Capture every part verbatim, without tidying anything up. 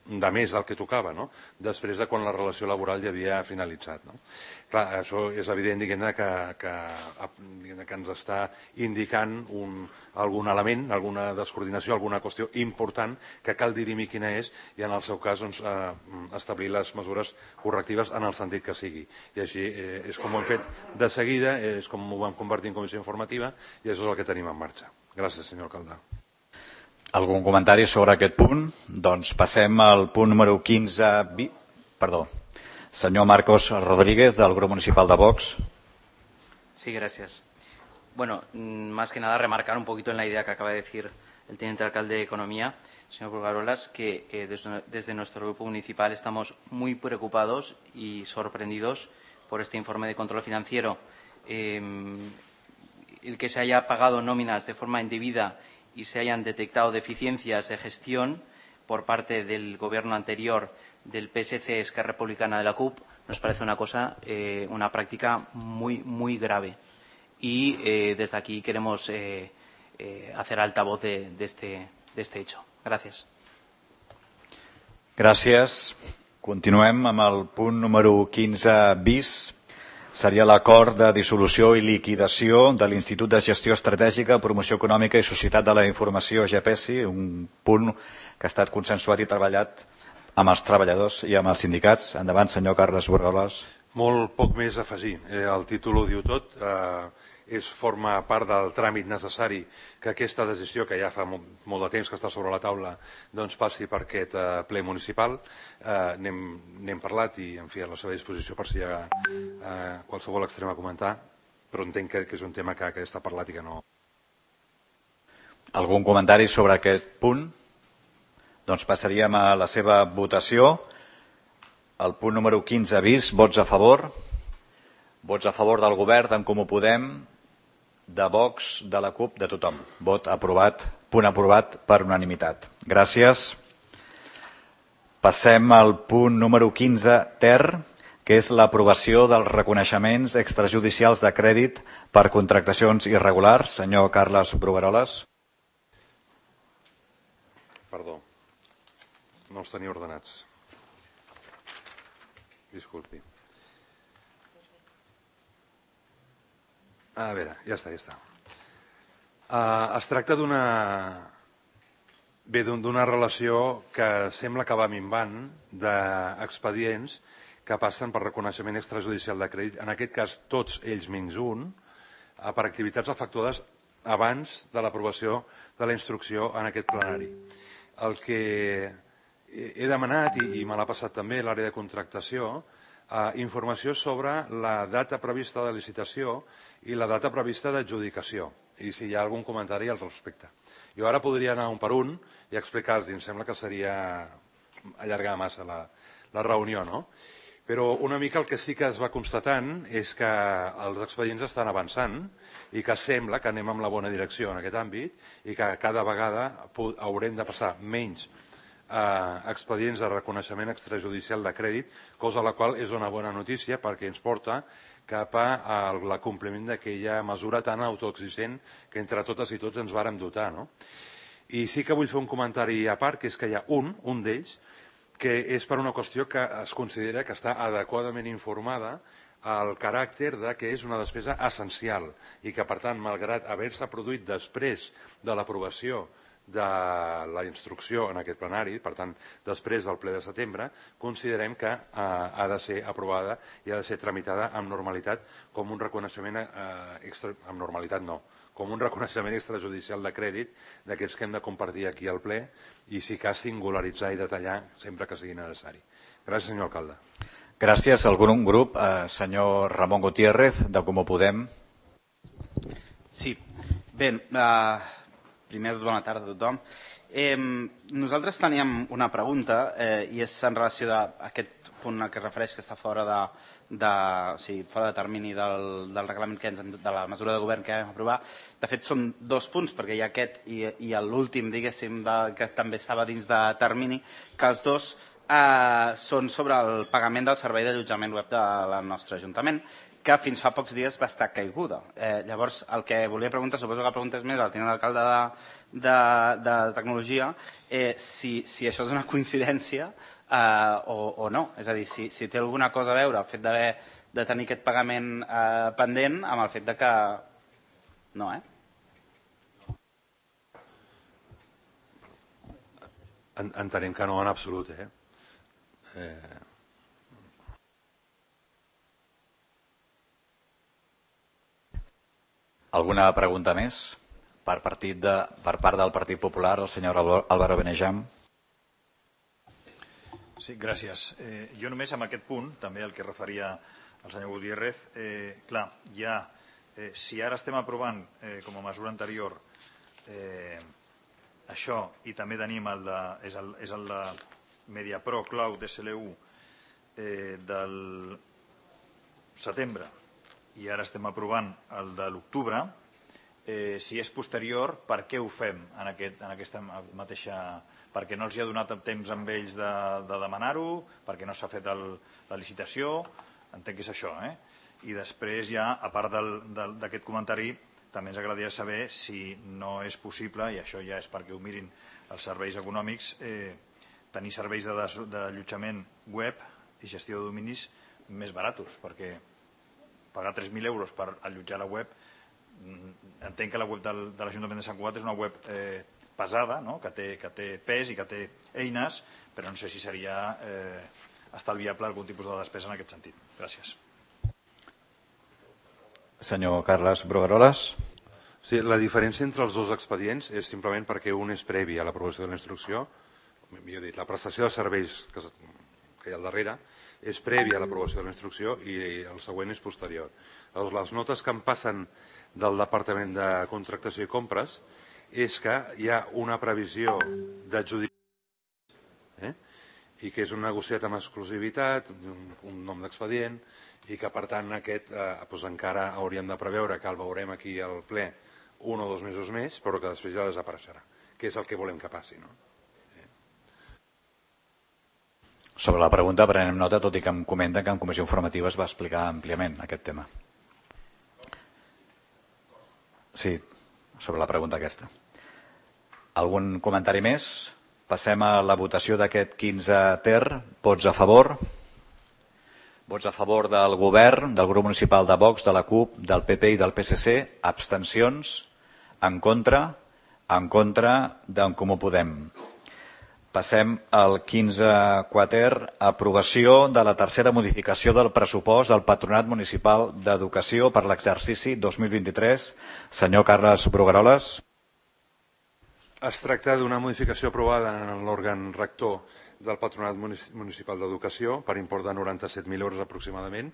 de més del que tocava, no? Després de quan la relació laboral ja havia finalitzat. No? Clar, això és evident diguem-ne que, que, diguem-ne, que ens està indicant un, algun element, alguna descoordinació, alguna qüestió important que cal dirimir quina és i en el seu cas doncs, eh, establir les mesures correctives en el sentit que sigui. I així eh, és com ho hem fet de seguida, és com ho vam convertir en comissió informativa i això és el que tenim en marxa. Gràcies, senyor alcalde. Algun comentari sobre aquest punt? Doncs passem al punt número quinze. Perdó. Señor Marcos Rodríguez, del Grupo Municipal de Vox. Sí, gracias. Bueno, más que nada remarcar un poquito en la idea que acaba de decir el teniente alcalde de Economía, señor Pulgarolas, que eh, desde, desde nuestro grupo municipal estamos muy preocupados y sorprendidos por este informe de control financiero. Eh, el que se haya pagado nóminas de forma indebida y se hayan detectado deficiencias de gestión por parte del gobierno anterior del P S C, Esquerra Republicana de la C U P, nos parece una cosa, eh, una práctica muy, muy grave. Y eh, desde aquí queremos eh, eh, hacer altavoz de, de, este, de este hecho. Gracias. Gràcies. Continuem amb el punt número quinze bis. Seria l'acord de dissolució i liquidació de l'Institut de Gestió Estratègica, Promoció Econòmica i Societat de la Informació, G P E S I, un punt que ha estat consensuat i treballat amb els treballadors i amb els sindicats. Endavant, senyor Carles Borgoles. Molt poc més a afegir. Eh, el títol ho diu tot. Eh, és forma part del tràmit necessari que aquesta decisió, que ja fa molt, molt de temps que està sobre la taula, doncs passi per aquest eh, ple municipal. Eh, n'hem parlat i en fi, a la seva disposició per si hi ha eh, qualsevol extrem a comentar, però entenc que, que és un tema que, que està parlat i que no... Algun comentari sobre aquest punt? Doncs passaríem a la seva votació. El punt número quinze bis, vots a favor. Vots a favor del govern, d'en Comú Podem, de Vox, de la C U P, de tothom. Vot aprovat, punt aprovat per unanimitat. Gràcies. Passem al punt número quinze ter, que és l'aprovació dels reconeixements extrajudicials de crèdit per contractacions irregulars. Senyor Carles Brugueroles. Perdó. No els tenia ordenats. Disculpi. A veure, ja està, ja està. Uh, es tracta d'una... Bé, d'una relació que sembla que va minvant d'expedients que passen per reconeixement extrajudicial de crèdit, en aquest cas tots ells menys un, per activitats efectuades abans de l'aprovació de la instrucció en aquest plenari. El que he demanat, i me l'ha passat també l'àrea de contractació, eh, informació sobre la data prevista de licitació i la data prevista d'adjudicació, i si hi ha algun comentari al respecte. Jo ara podria anar un per un i explicar-los, em sembla que seria allargar massa la, la reunió, no? Però una mica el que sí que es va constatant és que els expedients estan avançant i que sembla que anem en la bona direcció en aquest àmbit i que cada vegada haurem de passar menys eh, expedients de reconeixement extrajudicial de crèdit, cosa la qual és una bona notícia perquè ens porta cap al compliment d'aquella mesura tan autoexigent que entre totes i tots ens vàrem dotar. No? I sí que vull fer un comentari a part, que és que hi ha un, un d'ells, que és per una qüestió que es considera que està adequadament informada al caràcter de que és una despesa essencial i que, per tant, malgrat haver-se produït després de l'aprovació de la instrucció en aquest plenari, per tant, després del ple de setembre, considerem que eh, ha de ser aprovada i ha de ser tramitada amb normalitat com un reconeixement, eh, extra, amb normalitat no, com un reconeixement extrajudicial de crèdit d'aquests que hem de compartir aquí al ple i si cas singularitzar i detallar sempre que sigui necessari. Gràcies, senyor alcalde. Gràcies. Algun grup, eh, senyor Ramon Gutiérrez, de Comú Podem. Sí. Bé, eh, primer, bona tarda a tothom. Eh, nosaltres teníem una pregunta eh, i és en relació a aquest punt que es refereix que està fora de, de, o sigui, fora de termini del, del reglament que ens, de la mesura de govern que vam aprovar. De fet, són dos punts, perquè hi ha aquest i, i l'últim, diguéssim, de, que també estava dins de termini, que els dos eh, són sobre el pagament del servei d'allotjament web del nostre Ajuntament, que fins fa pocs dies va estar caiguda. Eh, llavors, el que volia preguntar, suposo que la pregunta és més al tinent d'alcalde de, de, de tecnologia, eh, si, si això és una coincidència eh, o, o no. És a dir, si, si té alguna cosa a veure el fet d'haver de tenir aquest pagament eh, pendent amb el fet de que... No, eh? Entenem que no en absolut, eh? eh... Alguna pregunta més per, partit de, per part del Partit Popular, el senyor Álvaro Benejam? Sí, gràcies. Eh, jo només amb aquest punt, també el que referia el senyor Gutiérrez, eh, clar, ja, eh, si ara estem aprovant eh, com a mesura anterior eh, això i també tenim el de, és el, és el de MediaPro Cloud S L U eh, del setembre, i ara estem aprovant el de l'octubre, eh, si és posterior, per què ho fem en, aquest, en aquesta mateixa... Perquè no els hi ha donat temps amb ells de, de demanar-ho, perquè no s'ha fet el, la licitació, entenc que és això. Eh? I després ja, a part d'aquest comentari, també ens agradaria saber si no és possible, i això ja és perquè ho mirin els serveis econòmics, eh, tenir serveis d'allotjament web i gestió de dominis més baratos, perquè pagar tres mil euros per allotjar la web, entenc que la web del, de l'Ajuntament de Sant Cugat és una web eh, pesada, no? que, té, que té pes i que té eines, però no sé si seria eh, estalviable algun tipus de despesa en aquest sentit. Gràcies. Senyor Carles Brugueroles. Sí, la diferència entre els dos expedients és simplement perquè un és previ a l'aprovació de la instrucció, millor dit, la prestació de serveis que, que hi ha al darrere, és previ a l'aprovació de la instrucció i el següent és posterior. Llavors, les notes que em passen del Departament de Contractació i Compres és que hi ha una previsió d'adjudicació eh? i que és un negociat amb exclusivitat, un, un nom d'expedient, i que per tant aquest eh, doncs encara hauríem de preveure que el veurem aquí al ple un o dos mesos més, però que després ja desapareixerà, que és el que volem que passi, no? Sobre la pregunta prenem nota, tot i que em comenta que en comissió informativa es va explicar àmpliament aquest tema. Sí, sobre la pregunta aquesta. Algun comentari més? Passem a la votació d'aquest quinze ter. Vots a favor? Vots a favor del govern, del grup municipal de Vox, de la CUP, del P P i del P S C. Abstencions? En contra? En contra d'en Comú Podem. Passem al quinze quater, aprovació de la tercera modificació del pressupost del Patronat Municipal d'Educació per l'exercici dos mil vint-i-tres. Senyor Carles Brugueroles. Es tracta d'una modificació aprovada en l'òrgan rector del Patronat Municipal d'Educació per import de noranta-set mil euros aproximadament,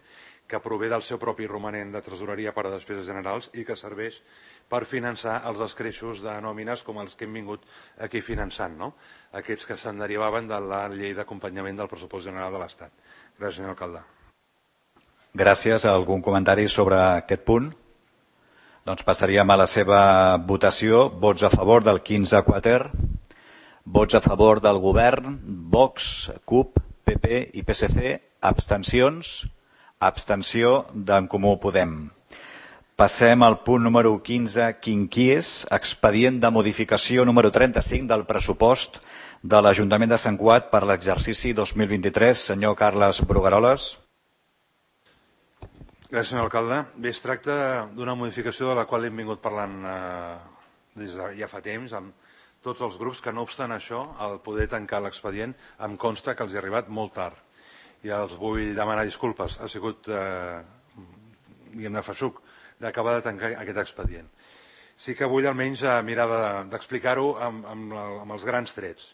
que prové del seu propi romanent de tresoreria per a despeses generals i que serveix per finançar els escreixos de nòmines com els que hem vingut aquí finançant, no? Aquests que se'n derivaven de la llei d'acompanyament del pressupost general de l'Estat. Gràcies, senyor alcalde. Gràcies. Algun comentari sobre aquest punt? Doncs passaríem a la seva votació. Vots a favor del quinze quater. Vots a favor del govern, Vox, CUP, P P i P S C. Abstencions? Abstenció d'en Comú Podem. Passem al punt número quinze, quinquies, expedient de modificació número trenta-cinc del pressupost de l'Ajuntament de Sant Cugat per l'exercici dos mil vint-i-tres. Senyor Carles Brugueroles. Gràcies, senyor alcalde. Bé, es tracta d'una modificació de la qual hem vingut parlant eh, des de ja fa temps amb tots els grups, que no obstant això, al poder tancar l'expedient, em consta que els hi ha arribat molt tard. I els vull demanar disculpes. Ha sigut, eh, diguem de feixuc, d'acabar de tancar aquest expedient. Sí que vull almenys mirar d'explicar-ho amb, amb, amb els grans trets.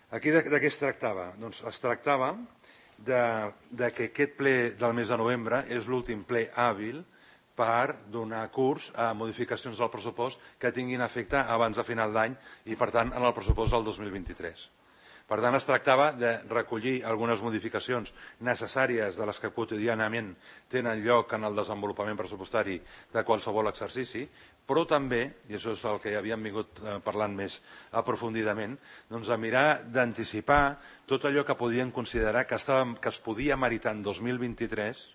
Aquí de, de què es tractava? Doncs es tractava de, de que aquest ple del mes de novembre és l'últim ple hàbil per donar curs a modificacions del pressupost que tinguin efecte abans de final d'any i, per tant, en el pressupost del dos mil vint-i-tres. Per tant, es tractava de recollir algunes modificacions necessàries de les que quotidianament tenen lloc en el desenvolupament pressupostari de qualsevol exercici, però també, i això és el que havíem vingut parlant més aprofundidament, doncs a mirar d'anticipar tot allò que podien considerar que, estava, que es podia meritar en dos mil vint-i-tres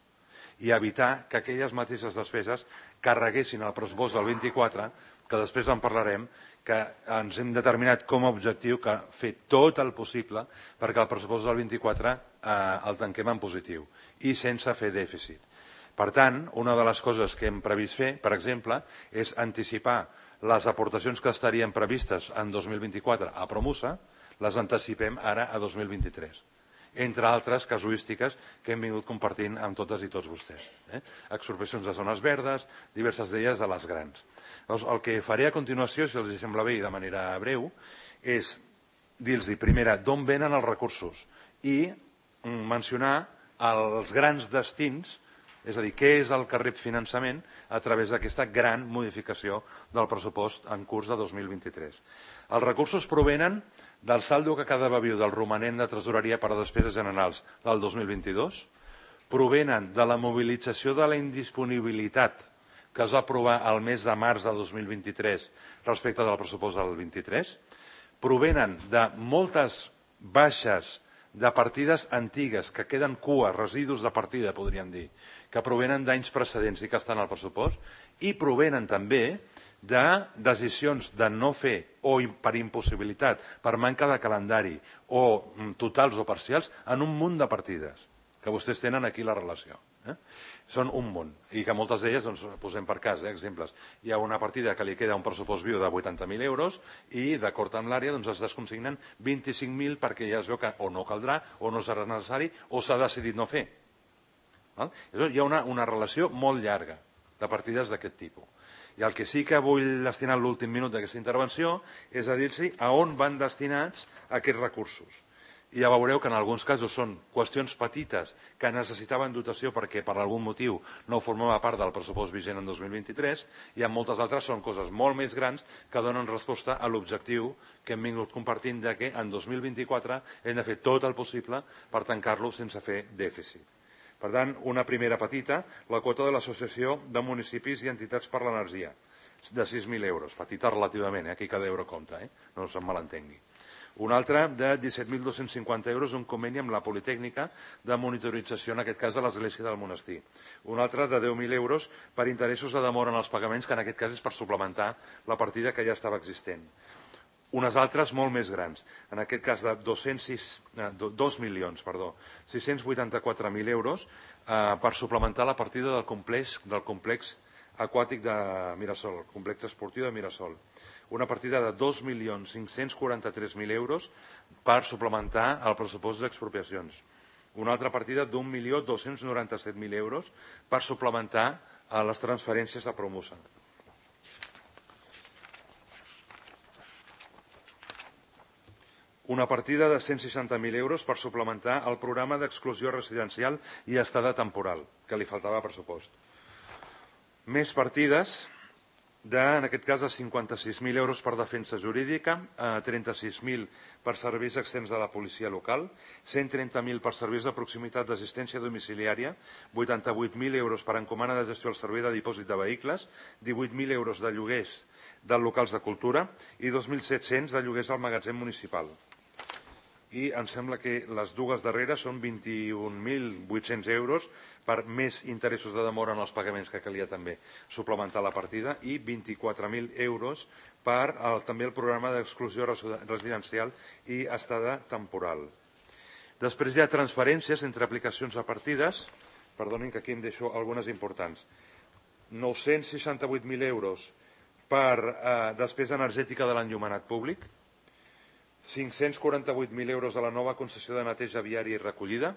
i evitar que aquelles mateixes despeses carreguessin el pressupost del vint-i-quatre, que després en parlarem, que ens hem determinat com a objectiu que fer tot el possible perquè el pressupost del vint-i-quatre eh, el tanquem en positiu i sense fer dèficit. Per tant, una de les coses que hem previst fer, per exemple, és anticipar les aportacions que estarien previstes en dos mil vint-i-quatre a Promusa, les anticipem ara a dos mil vint-i-tres. Entre altres casuístiques que hem vingut compartint amb totes i tots vostès. Eh? Expropiacions de zones verdes, diverses d'elles de les grans. Llavors, el que faré a continuació, si els sembla bé i de manera breu, és dir-los, primera, d'on venen els recursos i mencionar els grans destins, és a dir, què és el que rep finançament a través d'aquesta gran modificació del pressupost en curs de dos mil vint-i-tres. Els recursos provenen del saldo que cada viu del romanent de tresoreria per a despeses generals del dos mil vint-i-dos, provenen de la mobilització de la indisponibilitat que es va aprovar el mes de març de dos mil vint-i-tres respecte del pressupost del vint-i-tres, provenen de moltes baixes de partides antigues que queden cua, residus de partida, podríem dir, que provenen d'anys precedents i que estan al pressupost, i provenen també de decisions de no fer o per impossibilitat, per manca de calendari o totals o parcials en un munt de partides, que vostès tenen aquí la relació. Eh? Són un munt, i que moltes d'elles, doncs, posem per cas, eh, exemples. Hi ha una partida que li queda un pressupost viu de vuitanta mil euros i, d'acord amb l'àrea, doncs, es desconsignen vint-i-cinc mil perquè ja es veu que o no caldrà, o no serà necessari, o s'ha decidit no fer. Val? Hi ha una, una relació molt llarga de partides d'aquest tipus. I el que sí que vull destinar l'últim minut d'aquesta intervenció és a dir-los a on van destinats aquests recursos. I ja veureu que en alguns casos són qüestions petites que necessitaven dotació perquè per algun motiu no formava part del pressupost vigent en dos mil vint-i-tres, i en moltes altres són coses molt més grans que donen resposta a l'objectiu que hem vingut compartint de que en dos mil vint-i-quatre hem de fer tot el possible per tancar-lo sense fer dèficit. Per tant, una primera petita, la quota de l'Associació de Municipis i Entitats per l'Energia, de sis mil euros, petita relativament, eh? Aquí cada euro compta, eh? No se'm malentengui. Una altra de disset mil dos-cents cinquanta euros d'un conveni amb la Politècnica de monitorització, en aquest cas de l'Església del Monestir. Una altra de deu mil euros per interessos de demora en els pagaments, que en aquest cas és per suplementar la partida que ja estava existent. Unes altres molt més grans, en aquest cas de dos milions sis-cents vuitanta-quatre mil euros eh, per suplementar la partida del complex, del complex aquàtic de Mirasol, el complex esportiu de Mirasol. Una partida de dos milions cinc-cents quaranta-tres mil euros per suplementar el pressupost d'expropiacions. Una altra partida d'un milió dos-cents noranta-set mil euros per suplementar les transferències a Promusa. Una partida de cent seixanta mil euros per suplementar el programa d'exclusió residencial i estada temporal, que li faltava pressupost. Més partides, de, en aquest cas, de cinquanta-sis mil euros per defensa jurídica, trenta-sis mil per serveis externs de la policia local, cent trenta mil per serveis de proximitat d'assistència domiciliària, vuitanta-vuit mil euros per encomana de gestió al servei de dipòsit de vehicles, divuit mil euros de lloguers de locals de cultura i dos mil set-cents de lloguers al magatzem municipal. I em sembla que les dues darreres són vint-i-un mil vuit-cents euros per més interessos de demora en els pagaments, que calia també suplementar la partida, i vint-i-quatre mil euros per el, també el programa d'exclusió residencial i estada temporal. Després hi ha transferències entre aplicacions a partides, perdonin que aquí em deixo algunes importants, nou-cents seixanta-vuit mil euros per eh, despesa energètica de l'enllumenat públic, cinc-cents quaranta-vuit mil euros de la nova concessió de neteja viària i recollida.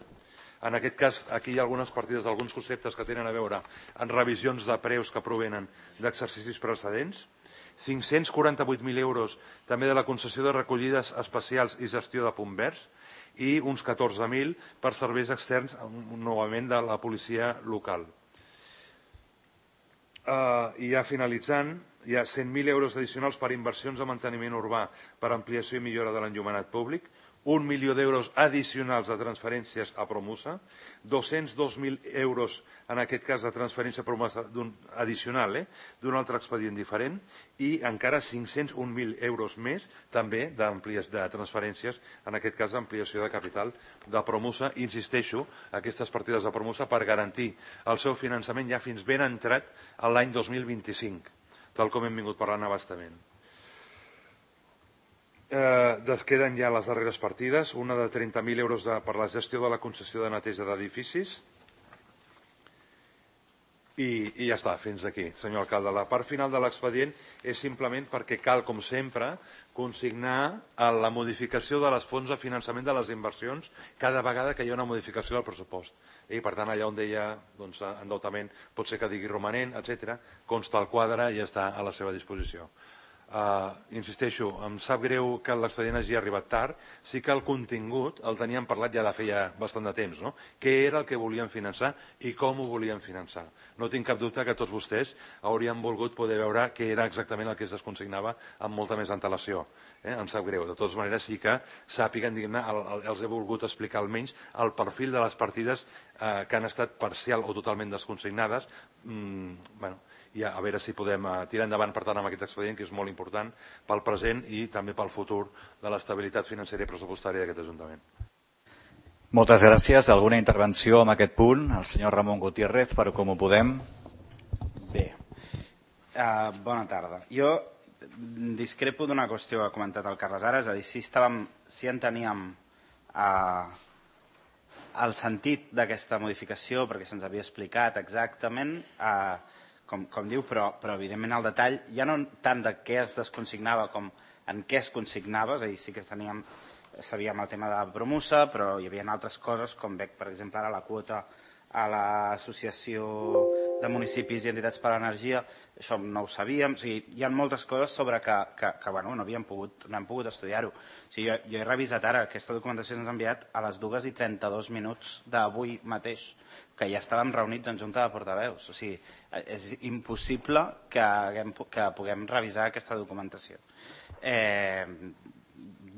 En aquest cas, aquí hi ha algunes partides, alguns conceptes que tenen a veure amb revisions de preus que provenen d'exercicis precedents. cinc-cents quaranta-vuit mil euros també de la concessió de recollides especials i gestió de punt verds i uns catorze mil per serveis externs, novament de la policia local. Uh, I ja finalitzant, hi ha cent mil euros addicionals per inversions de manteniment urbà per ampliació i millora de l'enllumenat públic, un milió d'euros addicionals de transferències a Promusa, dos-cents dos mil euros en aquest cas de transferència a Promusa addicional eh, d'un altre expedient diferent i encara cinc-cents un mil euros més també de transferències, en aquest cas d'ampliació de capital de Promusa. Insisteixo, aquestes partides de Promusa per garantir el seu finançament ja fins ben entrat a l'any dos mil vint-i-cinc, tal com hem vingut parlant a bastament. Eh, queden ja les darreres partides, una de trenta mil euros de, per la gestió de la concessió de neteja d'edificis i, i ja està, fins aquí, senyor alcalde. La part final de l'expedient és simplement perquè cal, com sempre, consignar la modificació de les fonts de finançament de les inversions cada vegada que hi ha una modificació del pressupost. I, per tant, allà on deia doncs, endeutament pot ser que digui romanent, etcètera, consta el quadre i ja està a la seva disposició. Uh, insisteixo, em sap greu que l'expedient hagi arribat tard, sí que el contingut el teníem parlat ja de feia bastant de temps, no? Què era el que volien finançar i com ho volien finançar. No tinc cap dubte que tots vostès haurien volgut poder veure què era exactament el que es desconsignava amb molta més antelació. Eh? Em sap greu, de totes maneres sí que sàpiguen, diguem-ne, els he volgut explicar almenys el perfil de les partides eh, que han estat parcial o totalment desconsignades. Mm, bueno, i a veure si podem tirar endavant, per tant, amb aquest expedient, que és molt important pel present i també pel futur de l'estabilitat financera i pressupostària d'aquest Ajuntament. Moltes gràcies. Alguna intervenció en aquest punt? El senyor Ramon Gutiérrez, per Com ho Podem. Bé, uh, bona tarda. Jo discrepo d'una qüestió que ha comentat el Carles ara, és a dir, si, estàvem, si enteníem uh, el sentit d'aquesta modificació, perquè se'ns havia explicat exactament, uh, Com, com diu, però, però evidentment el detall ja no tant de què es desconsignava com en què es consignava, és a dir, sí que teníem, sabíem el tema de Promusa, però hi havia altres coses, com veig, per exemple, ara la quota a l'Associació de Municipis i Entitats per a l'Energia, això no ho sabíem, o sigui, hi ha moltes coses sobre que, que, que bueno, no havíem pogut, no hem pogut estudiar-ho. O sigui, jo, jo he revisat ara, aquesta documentació ens ha enviat a les dues i trenta-dos minuts d'avui mateix, que ja estàvem reunits en Junta de Portaveus. O sigui, és impossible que, haguem, que puguem revisar aquesta documentació. Eh,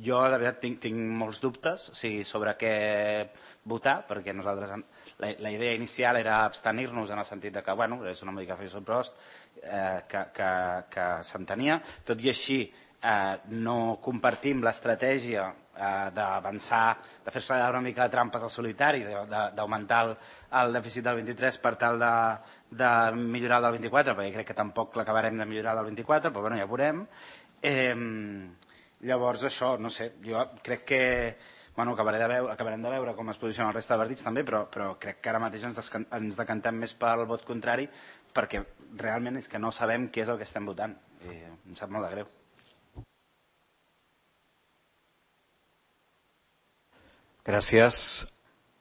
jo, de veritat, tinc, tinc molts dubtes o sigui, sobre què votar, perquè nosaltres, la, la idea inicial era abstenir-nos en el sentit de que, bueno, és una modificació prost eh, que, que, que s'entenia. Tot i així, eh, no compartim l'estratègia eh, d'avançar, de fer-se una mica de trampes al solitari, d'augmentar el, el dèficit del vint-i-tres per tal de, de millorar el del vint-i-quatre, perquè crec que tampoc l'acabarem de millorar del vint-i-quatre, però bueno, ja veurem. Eh, llavors això, no sé, jo crec que bueno, acabaré de veure, acabarem de veure com es posiciona el resta de partits també, però, però crec que ara mateix ens, descan, ens decantem més pel vot contrari perquè realment és que no sabem què és el que estem votant i em sap molt de greu. Gràcies.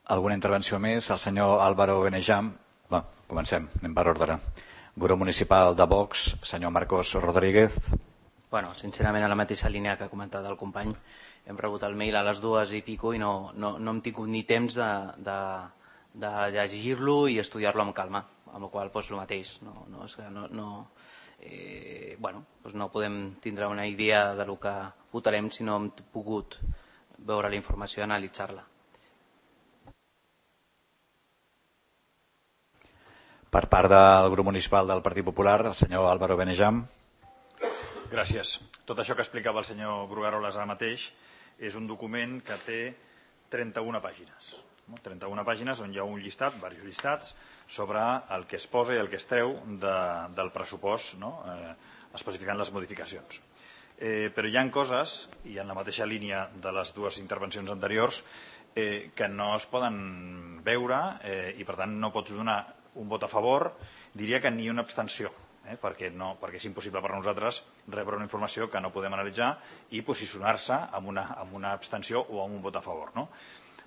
Alguna intervenció més? El senyor Álvaro Benejam. Va, comencem, anem per ordre. Grup municipal de Vox, senyor Marcos Rodríguez. Bueno, sincerament, a la mateixa línia que ha comentat el company, hem rebut el mail a les dues i pico i no, no, no hem tingut ni temps de, de, de llegir-lo i estudiar-lo amb calma, amb la qual cosa doncs, el mateix. No, no, és que no, no, eh, bueno, doncs no podem tindre una idea de lo que votarem si no hem pogut veure la informació i analitzar-la. Per part del grup municipal del Partit Popular, el senyor Álvaro Benejam. Gràcies. Tot això que explicava el senyor Brugaroles ara mateix és un document que té trenta-una pàgines. trenta-una pàgines on hi ha un llistat, diversos llistats, sobre el que es posa i el que es treu de, del pressupost, no? eh, especificant les modificacions. Eh, però hi ha coses, i en la mateixa línia de les dues intervencions anteriors, eh, que no es poden veure eh, i per tant no pots donar un vot a favor, diria que ni una abstenció. Eh, perquè, no, perquè és impossible per nosaltres rebre una informació que no podem analitzar i posicionar-se amb, una, amb una abstenció o amb un vot a favor. No?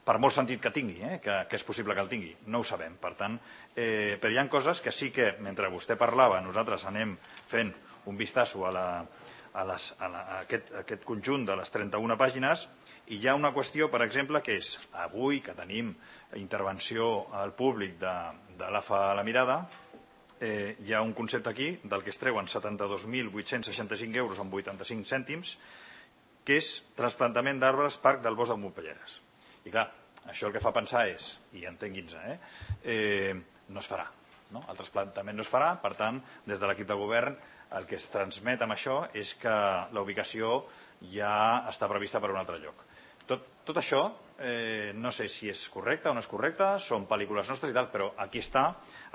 Per molt sentit que tingui, eh, que, que és possible que el tingui, no ho sabem. Per tant, eh, però hi ha coses que sí que, mentre vostè parlava, nosaltres anem fent un vistazo a, la, a, les, a, la, a, aquest, a aquest conjunt de les trenta-una pàgines i hi ha una qüestió, per exemple, que és avui que tenim intervenció al públic de, de l'A F A La Mirada, Eh, hi ha un concepte aquí del que es treuen setanta-dos mil vuit-cents seixanta-cinc euros amb vuitanta-cinc cèntims que és trasplantament d'arbres Parc del Bosc de Montpelleres. I clar, això el que fa pensar és, i entenguin-se, eh, eh, no es farà. No? El trasplantament no es farà, per tant, des de l'equip de govern el que es transmet amb això és que la ubicació ja està prevista per un altre lloc. Tot, tot això, eh, no sé si és correcte o no és correcte, són pel·lícules nostres i tal, però aquí està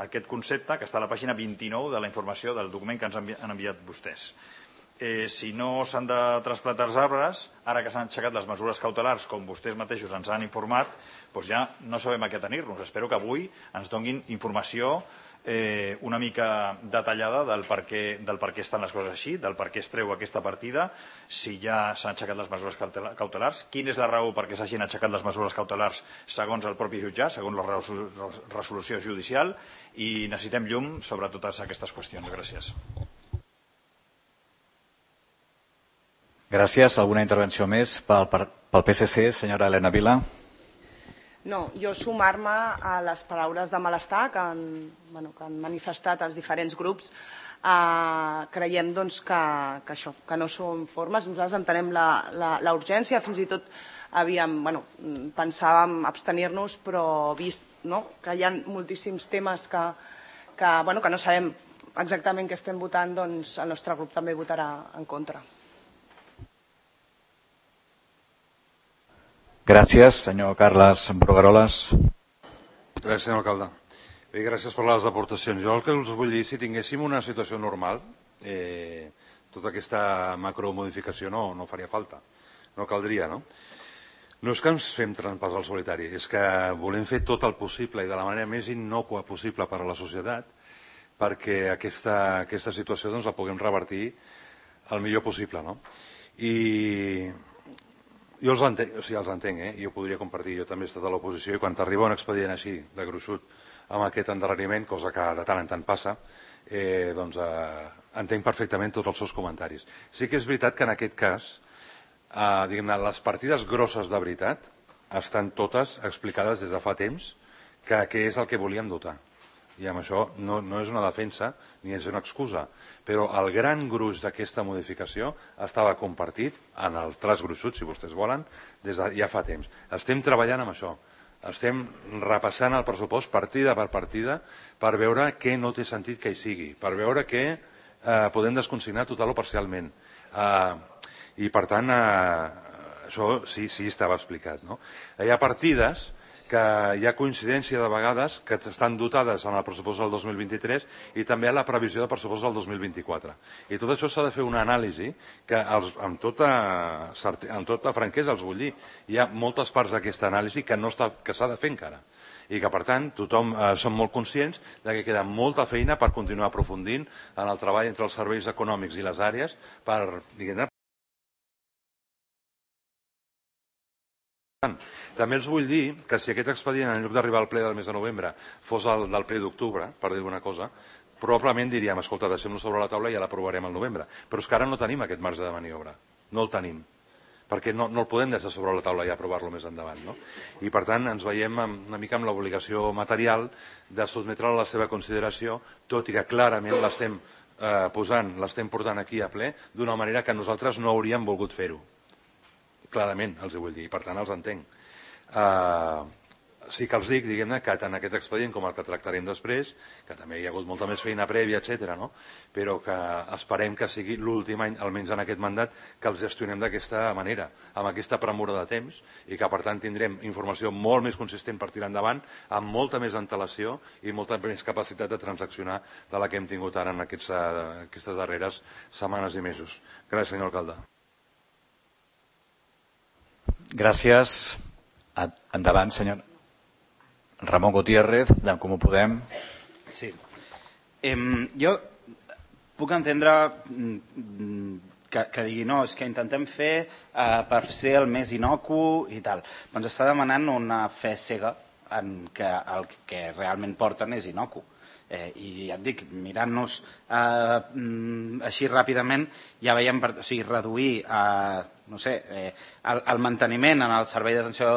aquest concepte que està a la pàgina vint-i-nou de la informació del document que ens han enviat vostès. Eh, si no s'han de trasplantar els arbres, ara que s'han aixecat les mesures cautelars, com vostès mateixos ens han informat, doncs ja no sabem a què tenir-nos. Espero que avui ens donin informació eh, una mica detallada del per, què, del per què estan les coses així, del per què es treu aquesta partida, si ja s'han aixecat les mesures cautelars, quina és la raó per què s'hagin aixecat les mesures cautelars segons el propi jutjat, segons la resolució judicial, i necessitem llum sobre totes aquestes qüestions. Gràcies. Gràcies. Alguna intervenció més pel, pel P S C, senyora Elena Vila? No, jo sumar-me a les paraules de malestar que han, bueno, que han manifestat els diferents grups. Eh, creiem doncs, que, que, això, que no són formes. Nosaltres entenem la, la, la urgència, fins i tot havíem, bueno, pensàvem abstenir-nos, però vist, no?, que hi ha moltíssims temes que, que, bueno, que no sabem exactament què estem votant, doncs el nostre grup també votarà en contra. Gràcies, senyor Carles Brugueroles. Gràcies, senyor alcalde. Bé, gràcies per les aportacions. Jo el que us vull dir, si tinguéssim una situació normal, eh, tota aquesta macromodificació no, no faria falta, no caldria, no? No és que ens fem trampes al solitari, és que volem fer tot el possible i de la manera més innòcua possible per a la societat perquè aquesta, aquesta situació doncs, la puguem revertir el millor possible, no? I jo els entenc, o sigui, els entenc, eh? I ho podria compartir, jo també he estat a l'oposició i quan t'arriba un expedient així, de gruixut, amb aquest endarreriment, cosa que de tant en tant passa, eh, doncs eh, entenc perfectament tots els seus comentaris. Sí que és veritat que en aquest cas, eh, diguem-ne, les partides grosses de veritat estan totes explicades des de fa temps que què és el que volíem dotar. I amb això no, no és una defensa ni és una excusa, però el gran gruix d'aquesta modificació estava compartit en el traç gruixut, si vostès volen, des de ja fa temps. Estem treballant amb això, estem repassant el pressupost partida per partida per veure què no té sentit que hi sigui, per veure què eh, podem desconsignar total o parcialment. Eh, I per tant, eh, això sí, sí estava explicat. No? Hi ha partides que hi ha coincidència de vegades que estan dotades en el pressupost del dos mil vint-i-tres i també a la previsió de pressupost del dos mil vint-i-quatre. I tot això s'ha de fer una anàlisi que els, amb, tota, amb tota franquesa els vull dir. Hi ha moltes parts d'aquesta anàlisi que, no està, que s'ha de fer encara i que per tant tothom eh, som molt conscients de que queda molta feina per continuar aprofundint en el treball entre els serveis econòmics i les àrees per, diguem-ne, també els vull dir que si aquest expedient, en lloc d'arribar al ple del mes de novembre, fos el del ple d'octubre, per dir alguna cosa, probablement diríem, escolta, deixem-lo sobre la taula i ja l'aprovarem al novembre. Però és que ara no tenim aquest marge de maniobra. No el tenim. Perquè no, no el podem deixar sobre la taula i aprovar-lo més endavant. No? I per tant ens veiem una mica amb l'obligació material de sotmetre-la a la seva consideració, tot i que clarament l'estem eh, posant, l'estem portant aquí a ple d'una manera que nosaltres no hauríem volgut fer-ho. Clarament, els ho vull dir, i per tant els entenc. Uh, sí que els dic, diguem-ne, que tant aquest expedient com el que tractarem després, que també hi ha hagut molta més feina prèvia, etcètera, no? Però que esperem que sigui l'últim any, almenys en aquest mandat, que els gestionem d'aquesta manera, amb aquesta premura de temps, i que per tant tindrem informació molt més consistent per tirar endavant, amb molta més antelació i molta més capacitat de transaccionar de la que hem tingut ara en aquests, uh, aquestes darreres setmanes i mesos. Gràcies, senyor alcalde. Gràcies. Endavant, senyor Ramon Gutiérrez, d'en Comú Podem. Sí. Eh, jo puc entendre que, que digui no, és que intentem fer eh, per ser el més inocu i tal. Doncs està demanant una fe cega en que el que realment porten és inocu. Eh, I ja et dic, mirant-nos eh, així ràpidament, ja veiem, o sigui, reduir eh, no sé, eh, el, el manteniment en el servei d'atenció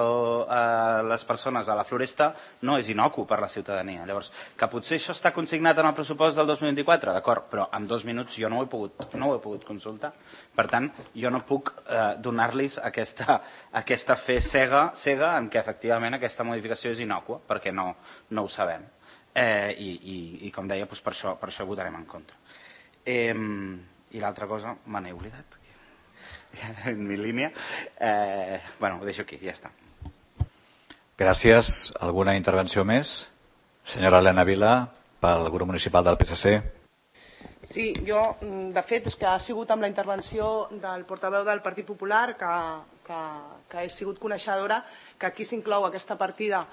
a les persones a la Floresta no és inocu per la ciutadania. Llavors, que potser això està consignat en el pressupost del dos mil vint-i-quatre, d'acord, però en dos minuts jo no ho he pogut, no ho he pogut consultar. Per tant, jo no puc eh, donar-los aquesta, aquesta fe cega, cega en què efectivament aquesta modificació és inocua, perquè no, no ho sabem. Eh, i, i, i com deia, doncs per, això, per això votarem en contra. Eh, I l'altra cosa, me n'he oblidat, en mi línia. Eh, bueno, ho deixo aquí, ja està. Gràcies. Alguna intervenció més? Senyora Helena Vila, pel grup municipal del P S C. Sí, jo, de fet, és que ha sigut amb la intervenció del portaveu del Partit Popular que, que, que he sigut coneixedora que aquí s'inclou aquesta partida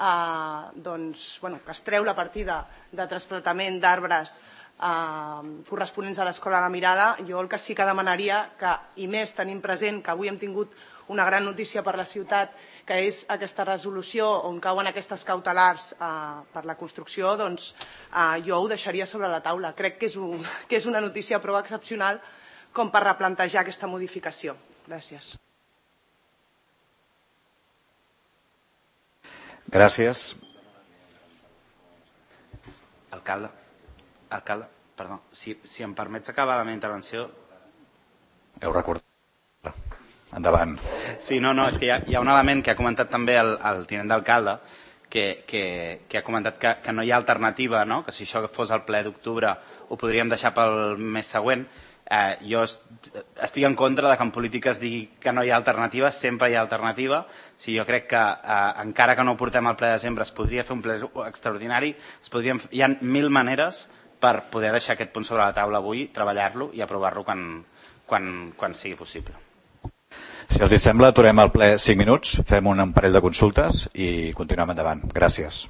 Eh, doncs, bueno, que es treu la partida de trasplantament d'arbres eh, corresponents a l'Escola La Mirada. Jo el que sí que demanaria, que, i més tenint present que avui hem tingut una gran notícia per la ciutat, que és aquesta resolució on cauen aquestes cautelars eh, per la construcció, doncs eh, jo ho deixaria sobre la taula. Crec que és, un, que és una notícia prou excepcional com per replantejar aquesta modificació. Gràcies. Gràcies. Alcalde, alcalde, perdó, si, si em permets acabar la meva intervenció... Heu recordat. Endavant. Sí, no, no, és que hi ha, hi ha un element que ha comentat també el, el tinent d'alcalde, que, que, que ha comentat que, que no hi ha alternativa, no? Que si això fos el ple d'octubre ho podríem deixar pel mes següent. Eh, jo estic en contra de que en política es digui que no hi ha alternativa, sempre hi ha alternativa. Si jo crec que eh, encara que no ho portem al ple de desembre es podria fer un ple extraordinari, es podrien, hi ha mil maneres per poder deixar aquest punt sobre la taula avui, treballar-lo i aprovar-lo quan, quan, quan sigui possible. Si els hi sembla, aturem el ple cinc minuts, fem un parell de consultes i continuem endavant. Gràcies.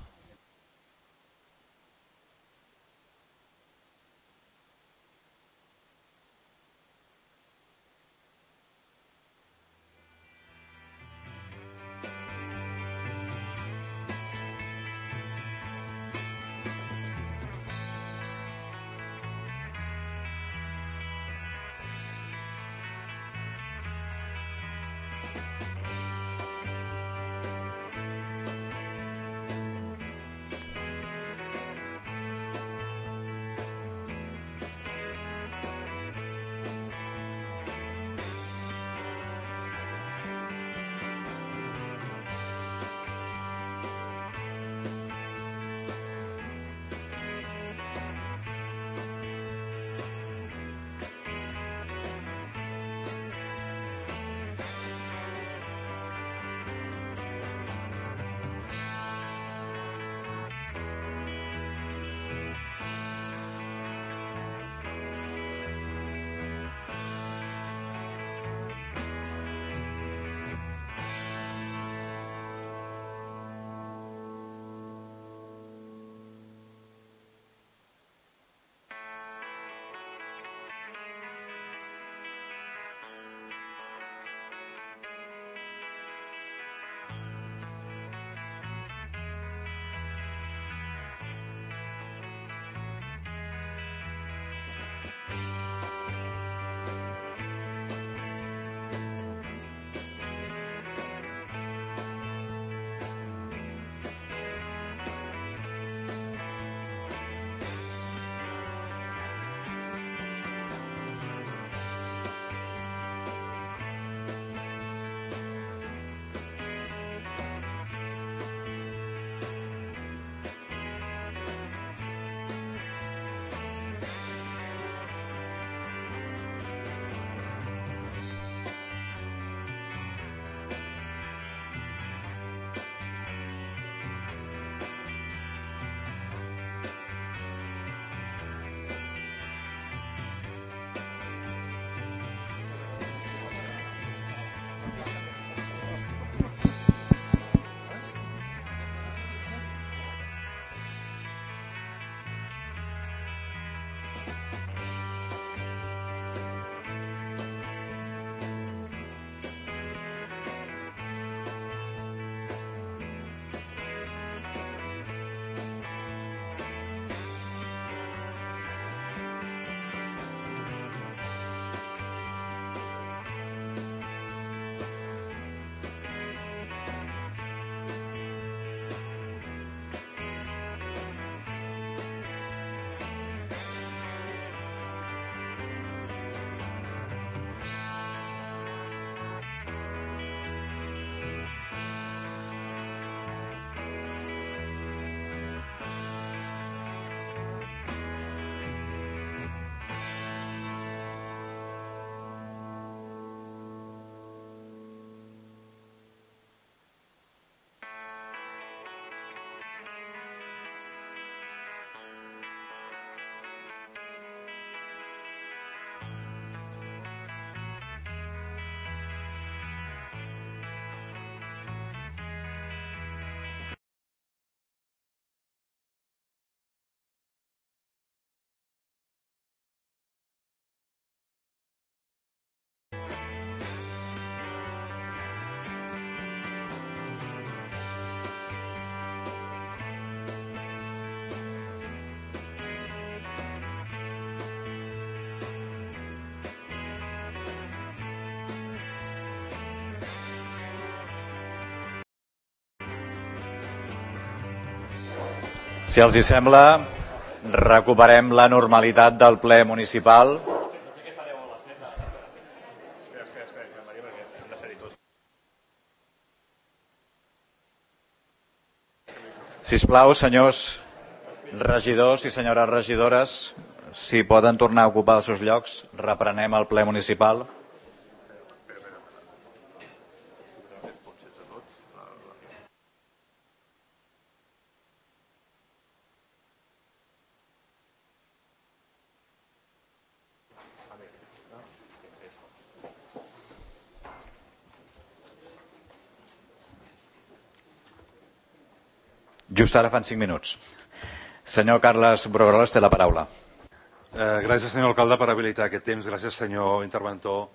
Si els hi sembla, recuperem la normalitat del ple municipal. Sisplau, senyors regidors i senyores regidores, si poden tornar a ocupar els seus llocs, reprenem el ple municipal. Just ara fan cinc minuts. Senyor Carles Brugueroles té la paraula. Eh, gràcies, senyor alcalde, per habilitar aquest temps. Gràcies, senyor interventor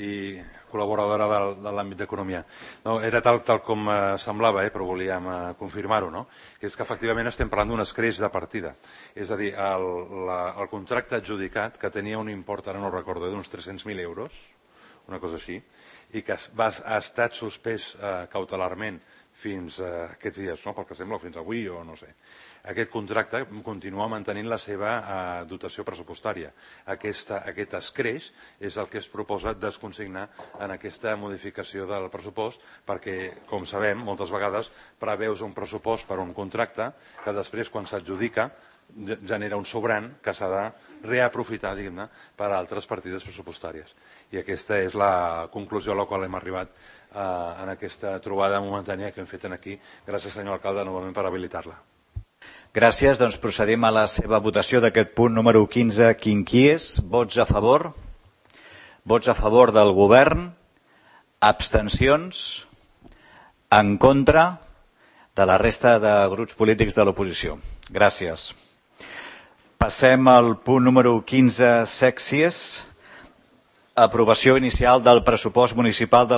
i col·laboradora del, de l'àmbit d'economia. No, era tal, tal com eh, semblava, eh, però volíem eh, confirmar-ho, no? Que és que efectivament estem parlant d'un escreix de partida. És a dir, el, la, el contracte adjudicat, que tenia un import, ara no recordo, d'uns tres-cents mil euros, una cosa així, i que va, ha estat suspès eh, cautelarment fins a aquests dies, no? Pel que sembla, fins avui o no sé. Aquest contracte continua mantenint la seva eh, dotació pressupostària. Aquesta, aquest escreix és el que es proposa desconsignar en aquesta modificació del pressupost perquè, com sabem, moltes vegades preveus un pressupost per un contracte que després, quan s'adjudica, genera un sobrant que s'ha de reaprofitar, diguem-ne, per a altres partides pressupostàries. I aquesta és la conclusió a la qual hem arribat eh, en aquesta trobada momentània que hem fet aquí. Gràcies, senyor alcalde, novament per habilitar-la. Gràcies. Doncs procedim a la seva votació d'aquest punt número quinze, quinquies. Vots a favor? Vots a favor del govern? Abstencions? En contra de la resta de grups polítics de l'oposició. Gràcies. Passem al punt número quinze, sèxies. Aprovació inicial del pressupost municipal de